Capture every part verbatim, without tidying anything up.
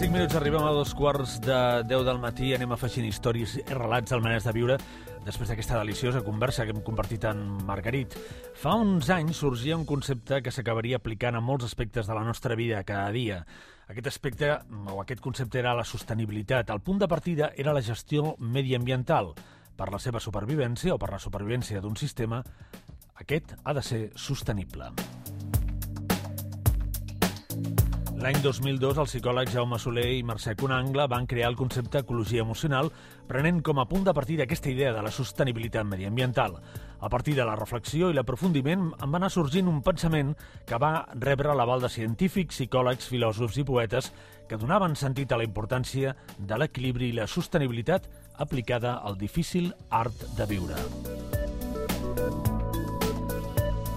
cinc minuts arribem a dos quarts de deu del matí. Anem afegint històries i relats al manès de viure després d'aquesta deliciosa conversa que hem compartit amb Margarit. Fa uns anys sorgia un concepte que s'acabaria aplicant a molts aspectes de la nostra vida cada dia. Aquest aspecte, o aquest concepte, era la sostenibilitat. El punt de partida era la gestió mediambiental. Per la seva supervivència o per la supervivència d'un sistema, aquest ha de ser sostenible. L'any dos mil dos, el psicòleg Jaume Soler i Mercè Conangle van crear el concepte ecologia emocional, prenent com a punt de partida aquesta idea de la sostenibilitat mediambiental. A partir de la reflexió i l'aprofundiment en va anar sorgint un pensament que va rebre l'aval de científics, psicòlegs, filòsofs i poetes que donaven sentit a la importància de l'equilibri i la sostenibilitat aplicada al difícil art de viure.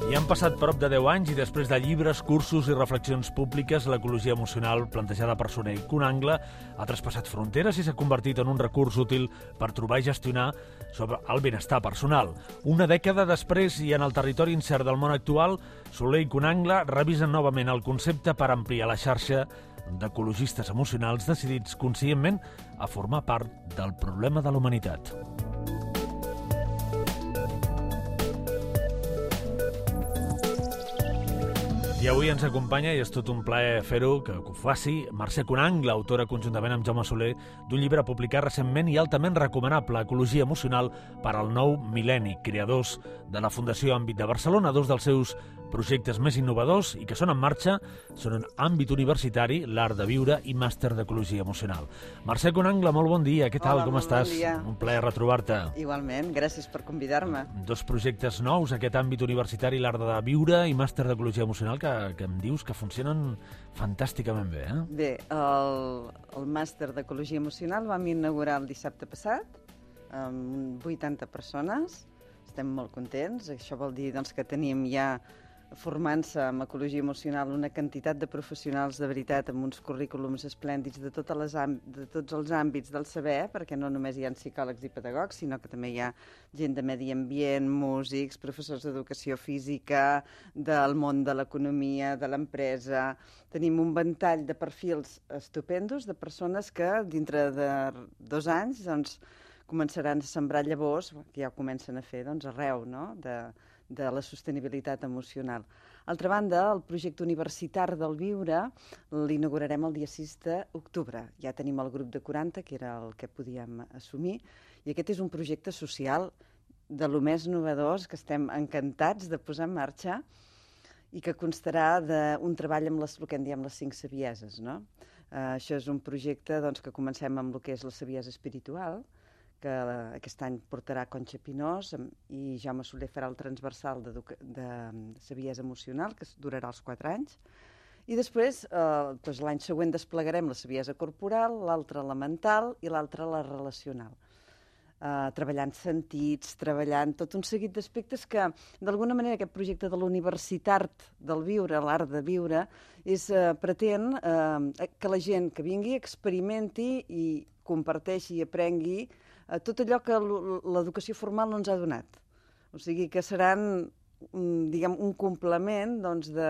I han passat prop de deu anys i després de llibres, cursos i reflexions públiques, l'ecologia emocional plantejada per Soler i Conangle ha traspassat fronteres i s'ha convertit en un recurs útil per trobar i gestionar sobre el benestar personal. Una dècada després i en el territori incert del món actual, Soler i Conangle revisen novament el concepte per ampliar la xarxa d'ecologistes emocionals decidits conscientment a formar part del problema de la humanitat. I avui ens acompanya, i és tot un plaer fer-ho, que ho faci, Mercè Conangle, autora conjuntament amb Jaume Soler d'un llibre publicat recentment i altament recomanable, Ecologia emocional per al nou mil·lenni, creadors de la Fundació Àmbit de Barcelona. Dos dels seus projectes més innovadors i que són en marxa són en àmbit universitari, l'art de viure i màster d'ecologia emocional. Mercè Conangle, molt bon dia, què tal, Hola, com estàs? Bon dia. Un plaer retrobar-te. Igualment, gràcies per convidar-me. Dos projectes nous, aquest àmbit universitari, l'art de viure i màster d'ecologia emocional, que, que em dius que funcionen fantàsticament bé, eh? Bé, el, el màster d'ecologia emocional vam inaugurar el dissabte passat amb vuitanta persones. Estem molt contents. Això vol dir doncs, que tenim ja formant-se en ecologia emocional una quantitat de professionals de veritat amb uns currículums esplèndids de, totes les de tots els àmbits del saber, perquè no només hi ha psicòlegs i pedagogs, sinó que també hi ha gent de medi ambient, músics, professors d'educació física, del món de l'economia, de l'empresa. Tenim un ventall de perfils estupendos de persones que dintre de dos anys doncs, començaran a sembrar llavors, que ja ho comencen a fer doncs, arreu, no?, de, de la sostenibilitat emocional. Altra banda, el projecte universitari del viure l'inaugurarem el dia sis d'octubre. Ja tenim el grup de quaranta, que era el que podíem assumir, i aquest és un projecte social de lo més novedós que estem encantats de posar en marxa i que constarà d'un treball amb les, el que en diem les cinc savieses, no? Uh, això és un projecte doncs, que comencem amb el que és la saviesa espiritual, que aquest any portarà Conxa Pinós i Jaume Soler farà el transversal de, de saviesa emocional, que durarà els quatre anys. I després, eh, doncs l'any següent desplegarem la saviesa corporal, l'altra la mental i l'altra la relacional. Eh, treballant sentits, treballant tot un seguit d'aspectes que, d'alguna manera, aquest projecte de l'universitat del viure, l'art de viure, és, eh, pretén eh, que la gent que vingui experimenti i comparteixi i aprengui tot allò que l'educació formal no ens ha donat. O sigui que seran, diguem, un complement doncs, de,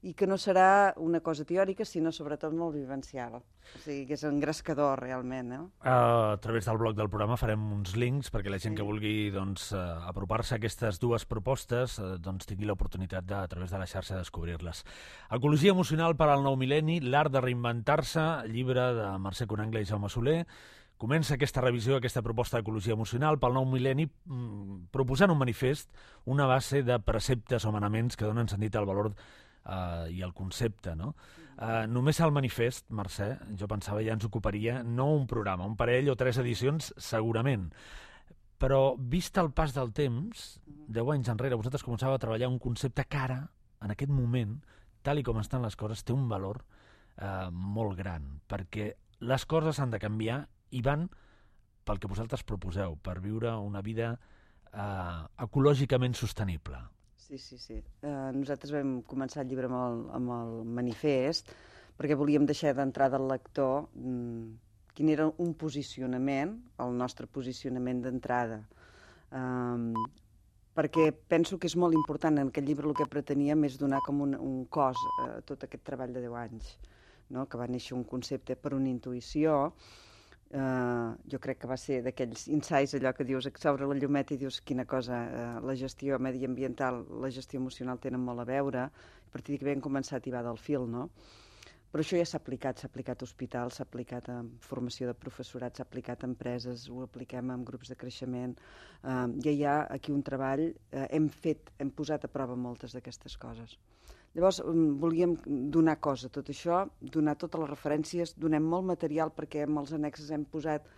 i que no serà una cosa teòrica, sinó sobretot molt vivencial. O sigui que és engrescador, realment. Eh? Uh, a través del blog del programa farem uns links perquè la gent sí. que vulgui doncs, uh, apropar-se a aquestes dues propostes uh, doncs, tingui l'oportunitat de, a través de la xarxa, de descobrir-les. Ecologia emocional per al nou mil·lenni, l'art de reinventar-se, llibre de Mercè Conangle i Jaume Soler. Comença aquesta revisió, aquesta proposta d'ecologia emocional pel nou mil·lenni proposant un manifest, una base de preceptes o manaments que donen sentit al valor eh, i al concepte. No? Eh, només el manifest, Mercè, jo pensava ja ens ocuparia no un programa, un parell o tres edicions segurament, però vist el pas del temps, deu anys enrere vosaltres començàveu a treballar un concepte que ara, en aquest moment, tal i com estan les coses, té un valor eh, molt gran, perquè les coses han de canviar i van pel que vosaltres proposeu, per viure una vida eh, ecològicament sostenible. Sí, sí, sí. Uh, nosaltres vam començar el llibre amb el, amb el manifest perquè volíem deixar d'entrar del lector mm, quin era un posicionament, el nostre posicionament d'entrada. Um, perquè penso que és molt important en aquest llibre el que preteníem és donar com un, un cos a tot aquest treball de deu anys. no? Que va néixer un concepte per una intuïció. Uh, jo crec que va ser d'aquells insights, allò que dius, que s'obre la llumeta i dius quina cosa, uh, la gestió mediambiental, la gestió emocional tenen molt a veure. A partir d'aquí vam començar a tibar del fil, no? Però això ja s'ha aplicat, s'ha aplicat a hospitals, s'ha aplicat a formació de professorat, s'ha aplicat a empreses, ho apliquem en grups de creixement. Uh, ja hi ha aquí un treball, uh, hem fet, hem posat a prova moltes d'aquestes coses. Llavors, volíem donar cosa a tot això, donar totes les referències, donem molt material perquè amb els annexes hem posat,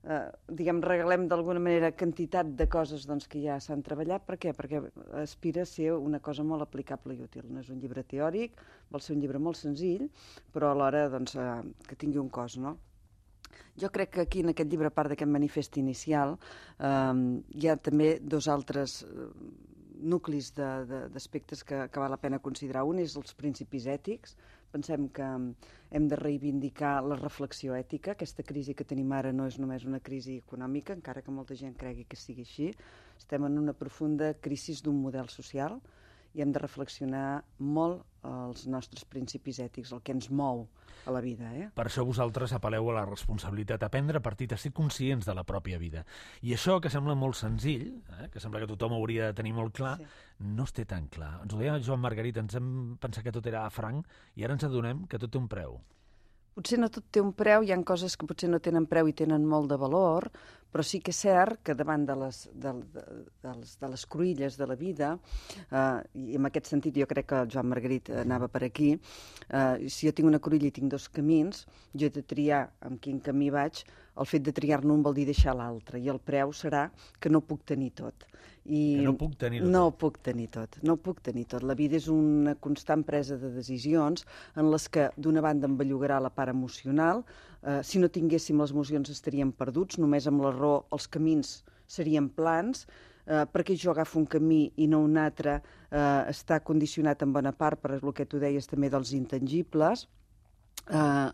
eh, diguem, regalem d'alguna manera quantitat de coses doncs, que ja s'han treballat. Per què? Perquè aspira a ser una cosa molt aplicable i útil. No és un llibre teòric, vol ser un llibre molt senzill, però alhora doncs, eh, que tingui un cos, no? Jo crec que aquí, en aquest llibre, a part d'aquest manifest inicial, eh, hi ha també dos altres eh, nuclis d'aspectes que, que val la pena considerar. Un és els principis ètics. Pensem que hem de reivindicar la reflexió ètica. Aquesta crisi que tenim ara no és només una crisi econòmica, encara que molta gent cregui que sigui així. Estem en una profunda crisi d'un model social i hem de reflexionar molt els nostres principis ètics, el que ens mou a la vida. Eh? Per això vosaltres apel·leu a la responsabilitat, a prendre partit, a ser conscients de la pròpia vida. I això, que sembla molt senzill, eh, que sembla que tothom hauria de tenir molt clar, sí. No es té tan clar. Ens ho deia Joan Margarit, ens hem pensat que tot era franc i ara ens adonem que tot té un preu. Potser no tot té un preu, hi ha coses que potser no tenen preu i tenen molt de valor, però sí que és cert que davant de les, de, de, de les, de les cruïlles de la vida, eh, i en aquest sentit jo crec que el Joan Margarit anava per aquí, eh, si jo tinc una cruïlla i tinc dos camins, jo he de triar amb quin camí vaig. El fet de triar-ne un vol dir deixar l'altre, i el preu serà que no puc tenir tot. I que no puc tenir-ho no tot. puc tenir tot. No puc tenir tot. La vida és una constant presa de decisions en les que, d'una banda, em bellugarà la part emocional. Eh, si no tinguéssim les emocions estaríem perduts, només amb la raó els camins serien plans. Eh, perquè jo agafo un camí i no un altre, eh, està condicionat en bona part per el que tu deies també dels intangibles. Eh,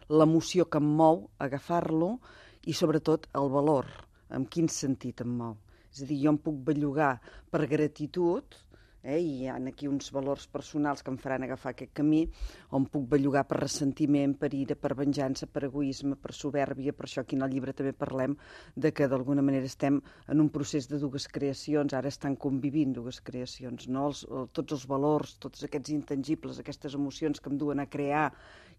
l'emoció que em mou, agafar-lo, i sobretot el valor, en quin sentit em mou. És a dir, jo em puc bellugar per gratitud, eh, i hi ha aquí uns valors personals que em faran agafar aquest camí, o em puc bellugar per ressentiment, per ira, per venjança, per egoisme, per soberbia. Per això aquí en el llibre també parlem de que d'alguna manera estem en un procés de dues creacions, ara estan convivint dues creacions, no? Els, tots els valors, tots aquests intangibles, aquestes emocions que em duen a crear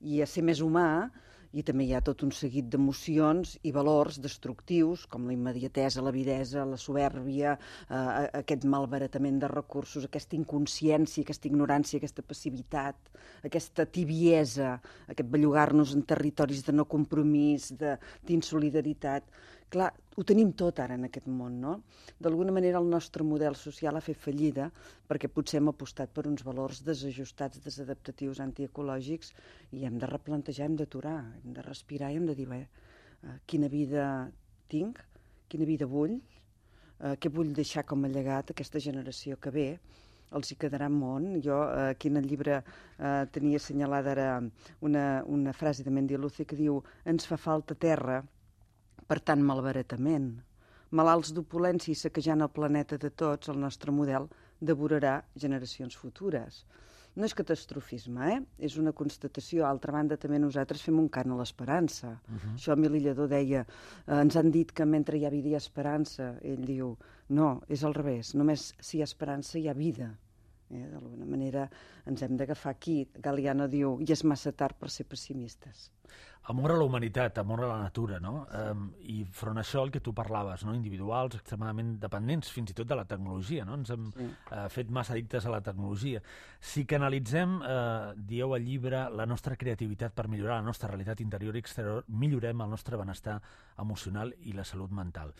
i a ser més humà, i també hi ha tot un seguit d'emocions i valors destructius, com la immediatesa, l'avidesa, la soberbia, eh, aquest malbaratament de recursos, aquesta inconsciència, aquesta ignorància, aquesta passivitat, aquesta tibiesa, aquest bellugar-nos en territoris de no compromís, d'insolidaritat. Clar, ho tenim tot ara en aquest món, no? D'alguna manera el nostre model social ha fet fallida perquè potser hem apostat per uns valors desajustats, desadaptatius, antiecològics, i hem de replantejar, hem d'aturar, hem de respirar i hem de dir, bé, eh, quina vida tinc, quina vida vull, eh, què vull deixar com a llegat a aquesta generació que ve, els hi quedarà món. Jo eh, aquí en el llibre eh, tenia assenyalada ara una, una frase de Mendiluce que diu: ens fa falta terra per tant malbaratament. Malalts d'opulència i saquejant el planeta de tots, el nostre model devorarà generacions futures. No és catastrofisme, eh? És una constatació. A altra banda, també nosaltres fem un cant a l'esperança. Uh-huh. Això Emili Lledó deia, eh, ens han dit que mentre hi ha vida hi ha esperança. Ell diu, no, és al revés. Només si hi ha esperança hi ha vida. Eh? D'alguna manera ens hem d'agafar aquí. Galiano diu, i és massa tard per ser pessimistes. Amor a la humanitat, amor a la natura, no? Um, I front a això el que tu parlaves, no? Individuals extremadament dependents, fins i tot de la tecnologia, no? Ens hem sí. uh, fet massa addictes a la tecnologia. Si canalitzem, uh, dieu al llibre, la nostra creativitat per millorar la nostra realitat interior i exterior, millorem el nostre benestar emocional i la salut mental.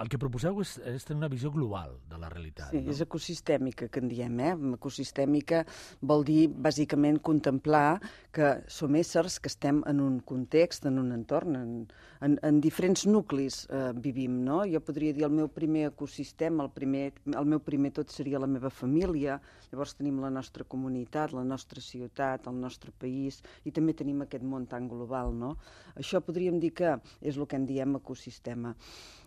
El que proposeu és, és tenir una visió global de la realitat. Sí, no? És ecosistèmica, que en diem. Eh? Ecosistèmica vol dir, bàsicament, contemplar que som éssers que estem en un context, en un entorn, en, en, en diferents nuclis eh, vivim. No? Jo podria dir el meu primer ecosistema, el, primer, el meu primer tot seria la meva família, llavors tenim la nostra comunitat, la nostra ciutat, el nostre país, i també tenim aquest món tan global. No? Això podríem dir que és el que en diem ecosistema.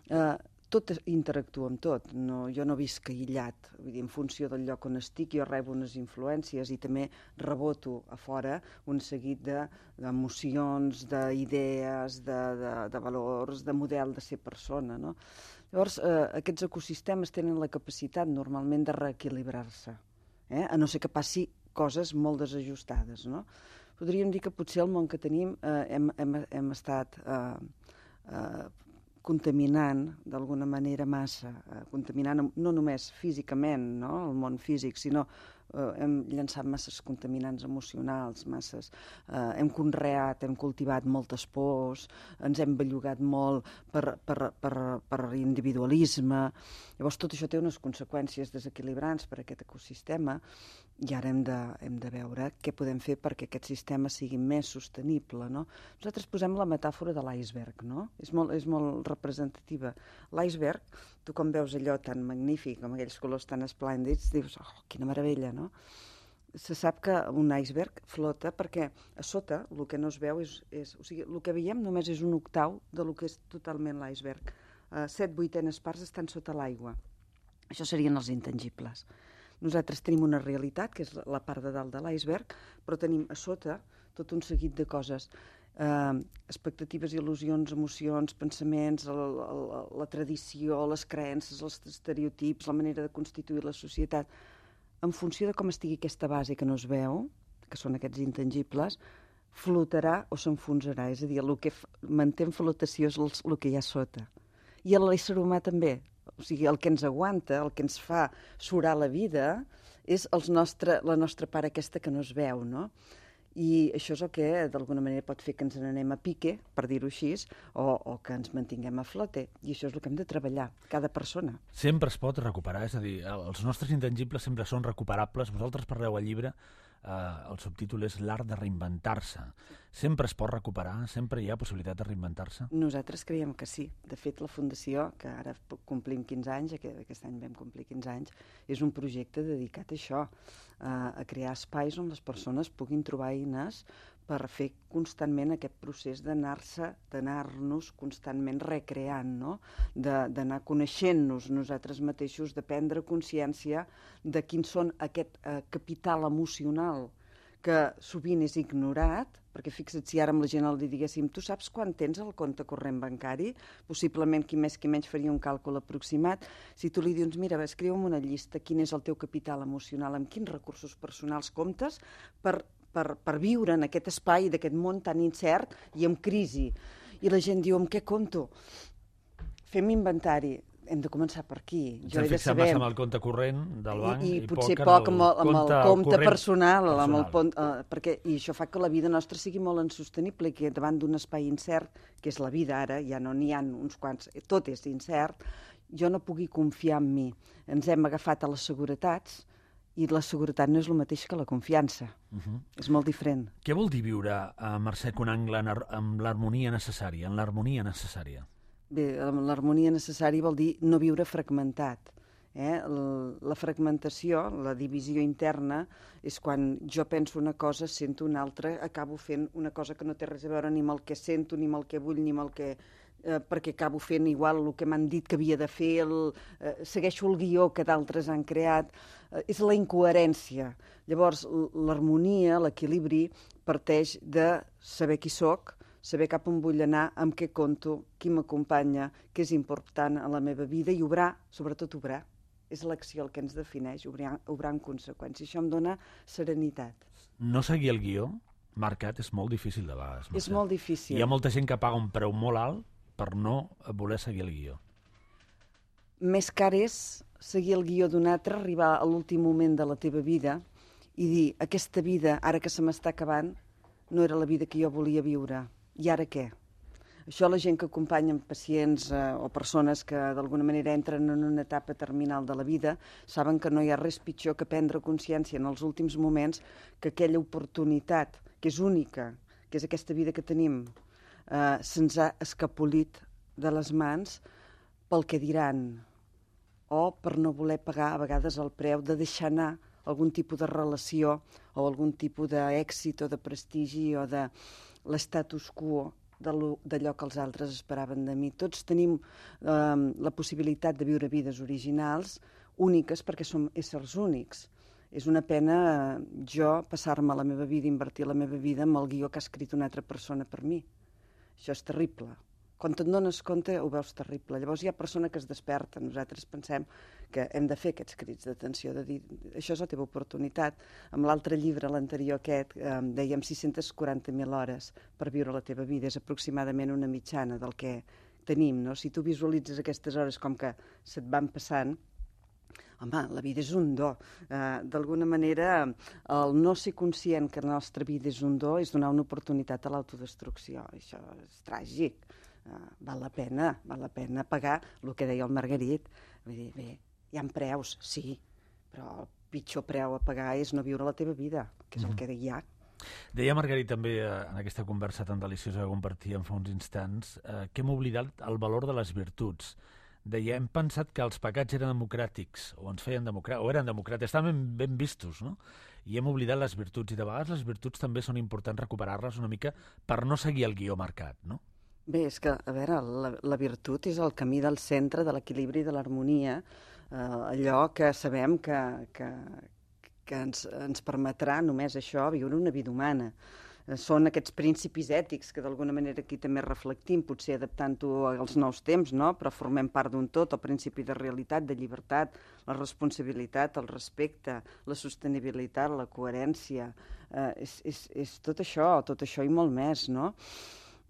Eh, tot interactua amb tot. No, jo no visc aïllat. Vull dir, en funció del lloc on estic, jo rebo unes influències i també reboto a fora un seguit d'emocions, de, d'idees, de, de, de valors, de model de ser persona, no? Llavors, eh, aquests ecosistemes tenen la capacitat normalment de reequilibrar-se, eh? A no ser que passi coses molt desajustades, no? Podríem dir que potser el món que tenim eh, hem, hem, hem estat eh, eh, contaminant d'alguna manera massa, eh, contaminant no només físicament, no? El món físic, sinó eh, hem llançat masses contaminants emocionals, masses, eh, hem conreat, hem cultivat moltes pors, ens hem bellugat molt per, per, per, per individualisme. Llavors tot això té unes conseqüències desequilibrants per a aquest ecosistema i ara hem de, hem de veure què podem fer perquè aquest sistema sigui més sostenible, no? Nosaltres posem la metàfora de l'iceberg, no? És molt, és molt representativa. L'iceberg, tu com veus allò tan magnífic, amb aquells colors tan esplèndids, dius, oh, quina meravella, no? Se sap que un iceberg flota perquè a sota el que no es veu és... és o sigui, el que veiem només és un octau de lo que és totalment l'iceberg. Uh, set vuitenes parts estan sota l'aigua. Això serien els intangibles. Nosaltres tenim una realitat, que és la part de dalt de l'iceberg, però tenim a sota tot un seguit de coses. Eh, expectatives, il·lusions, emocions, pensaments, la, la, la tradició, les creences, els estereotips, la manera de constituir la societat. En funció de com estigui aquesta base que no es veu, que són aquests intangibles, flotarà o s'enfonsarà. És a dir, el que manté en flotació és el, el que hi ha sota. I l'ésser humà també. O sigui, el que ens aguanta, el que ens fa surar la vida, és els nostre, la nostra part aquesta que no es veu, no? I això és el que d'alguna manera pot fer que ens n'anem a pique, per dir-ho així, o, o que ens mantinguem a flote. I això és el que hem de treballar, cada persona. Sempre es pot recuperar, és a dir, els nostres intangibles sempre són recuperables. Vosaltres parleu al llibre, eh, el subtítol és l'art de reinventar-se. Sempre es pot recuperar? Sempre hi ha possibilitat de reinventar-se? Nosaltres creiem que sí. De fet, la Fundació, que ara complim quinze anys, aquest any vam complir quinze anys, és un projecte dedicat a això, a crear espais on les persones puguin trobar eines per fer constantment aquest procés d'anar-se, d'anar-nos constantment recreant, no? D'anar coneixent-nos nosaltres mateixos, de prendre consciència de quins són aquest eh, capital emocional que sovint és ignorat, perquè fixa't si ara amb la gent li diguéssim tu saps quan tens el compte corrent bancari? Possiblement qui més qui menys faria un càlcul aproximat. Si tu li dius, mira, escriu'm una llista, quin és el teu capital emocional, amb quins recursos personals comptes per, per, per viure en aquest espai d'aquest món tan incert i amb crisi. I la gent diu, amb què compto? Fem inventari. Hem de començar per aquí. Ens hem fixat massa amb el compte corrent del banc i, i, i potser poc, poc amb el, amb el compte personal, personal. amb el pont, uh, perquè, i això fa que la vida nostra sigui molt insostenible i que davant d'un espai incert, que és la vida ara, ja no n'hi ha uns quants, tot és incert, jo no pugui confiar en mi. Ens hem agafat a les seguretats i la seguretat no és el mateix que la confiança. Uh-huh. És molt diferent. Què vol dir viure, a Mercè Conangle, amb l'harmonia necessària, en l'harmonia necessària? Bé, l'harmonia necessària vol dir no viure fragmentat. Eh? La fragmentació, la divisió interna, és quan jo penso una cosa, sento una altra, acabo fent una cosa que no té res a veure ni amb el que sento, ni amb el que vull, ni amb el que... Eh, perquè acabo fent igual el que m'han dit que havia de fer, el, eh, segueixo el guió que d'altres han creat. Eh, és la incoherència. Llavors, l'harmonia, l'equilibri, parteix de saber qui sóc, saber cap on vull anar, amb què compto, qui m'acompanya, què és important a la meva vida i obrar, sobretot obrar. És l'acció el que ens defineix, obrar, obrar en conseqüència. Això em dona serenitat. No seguir el guió marcat és molt difícil de vegades. És molt difícil. Hi ha molta gent que paga un preu molt alt per no voler seguir el guió. Més car és seguir el guió d'un altre, arribar a l'últim moment de la teva vida i dir, aquesta vida, ara que se m'està acabant, no era la vida que jo volia viure. I ara què? Això la gent que acompanya pacients eh, o persones que d'alguna manera entren en una etapa terminal de la vida saben que no hi ha res pitjor que prendre consciència en els últims moments que aquella oportunitat, que és única, que és aquesta vida que tenim, eh, se'ns ha escapolit de les mans pel que diran o per no voler pagar a vegades el preu de deixar anar algun tipus de relació o algun tipus d'èxit o de prestigi o de l'estatus quo d'allò que els altres esperaven de mi. Tots tenim eh, la possibilitat de viure vides originals, úniques, perquè som éssers únics. És una pena eh, jo passar-me la meva vida, invertir la meva vida amb el guió que ha escrit una altra persona per mi. Això és terrible. Quan te'n dones compte ho veus terrible. Llavors hi ha persona que es desperta. Nosaltres pensem que hem de fer aquests crits d'atenció, de dir, això és la teva oportunitat. Amb l'altre llibre, l'anterior aquest, eh, dèiem sis-centes quaranta mil hores per viure la teva vida. És aproximadament una mitjana del que tenim, no? Si tu visualitzes aquestes hores com que se't van passant, home, la vida és un do. Uh, D'alguna manera, el no ser conscient que la nostra vida és un do és donar una oportunitat a l'autodestrucció. Això és tràgic. Uh, val la pena, val la pena pagar el que deia el Margarit. Vull dir, bé, hi ha preus, sí, però el pitjor preu a pagar és no viure la teva vida, que és mm-hmm. el que hi ha. Deia Margarit també eh, en aquesta conversa tan deliciosa que compartíem fa uns instants eh, que hem oblidat el valor de les virtuts. Deia, hem pensat que els pecats eren democràtics, o ens feien democràtics, o eren democràtics, estaven ben, ben vistos, no? I hem oblidat les virtuts, i de vegades les virtuts també són importants recuperar-les una mica per no seguir el guió marcat, no? Bé, és que, a veure, la, la virtut és el camí del centre, de l'equilibri i de l'harmonia, eh, allò que sabem que, que, que ens, ens permetrà només això, viure una vida humana. Són aquests principis ètics que d'alguna manera aquí també reflectim, potser adaptant-ho als nous temps, no? Però formem part d'un tot, el principi de realitat, de llibertat, la responsabilitat, el respecte, la sostenibilitat, la coherència, eh, és, és, és tot això, tot això i molt més, no?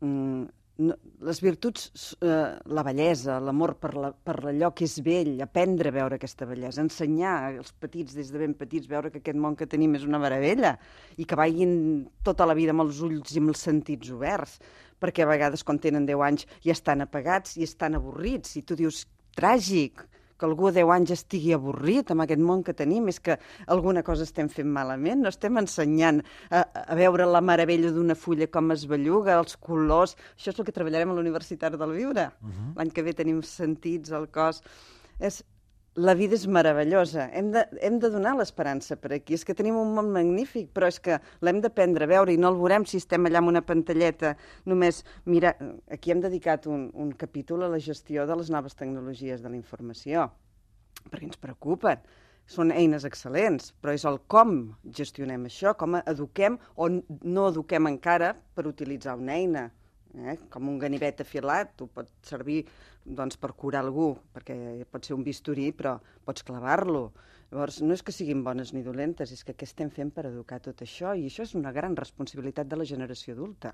Mm, no les virtuts, eh, la bellesa, l'amor per, la, per allò que és vell, aprendre a veure aquesta bellesa, ensenyar als petits des de ben petits, veure que aquest món que tenim és una meravella i que vagin tota la vida amb els ulls i amb els sentits oberts, perquè a vegades quan tenen deu anys ja estan apagats i estan avorrits i tu dius, tràgic, que algú a deu anys estigui avorrit amb aquest món que tenim, és que alguna cosa estem fent malament, no estem ensenyant a, a veure la meravella d'una fulla com es belluga, els colors, això és el que treballarem a l'Universitat del Viure. Uh-huh. L'any que ve tenim sentits al cos. És, la vida és meravellosa, hem de, hem de donar l'esperança per aquí, és que tenim un món magnífic, però és que l'hem d'aprendre a veure i no el veurem si estem allà amb una pantalleta només. Mira, aquí hem dedicat un, un capítol a la gestió de les noves tecnologies de la informació, perquè ens preocupen. Són eines excel·lents, però és el com gestionem això, com eduquem o no eduquem encara per utilitzar una eina. Eh? Com un ganivet afilat, tu pot servir doncs, per curar algú, perquè pot ser un bisturí, però pots clavar-lo. Llavors, no és que siguin bones ni dolentes, és que què estem fent per educar tot això? I això és una gran responsabilitat de la generació adulta.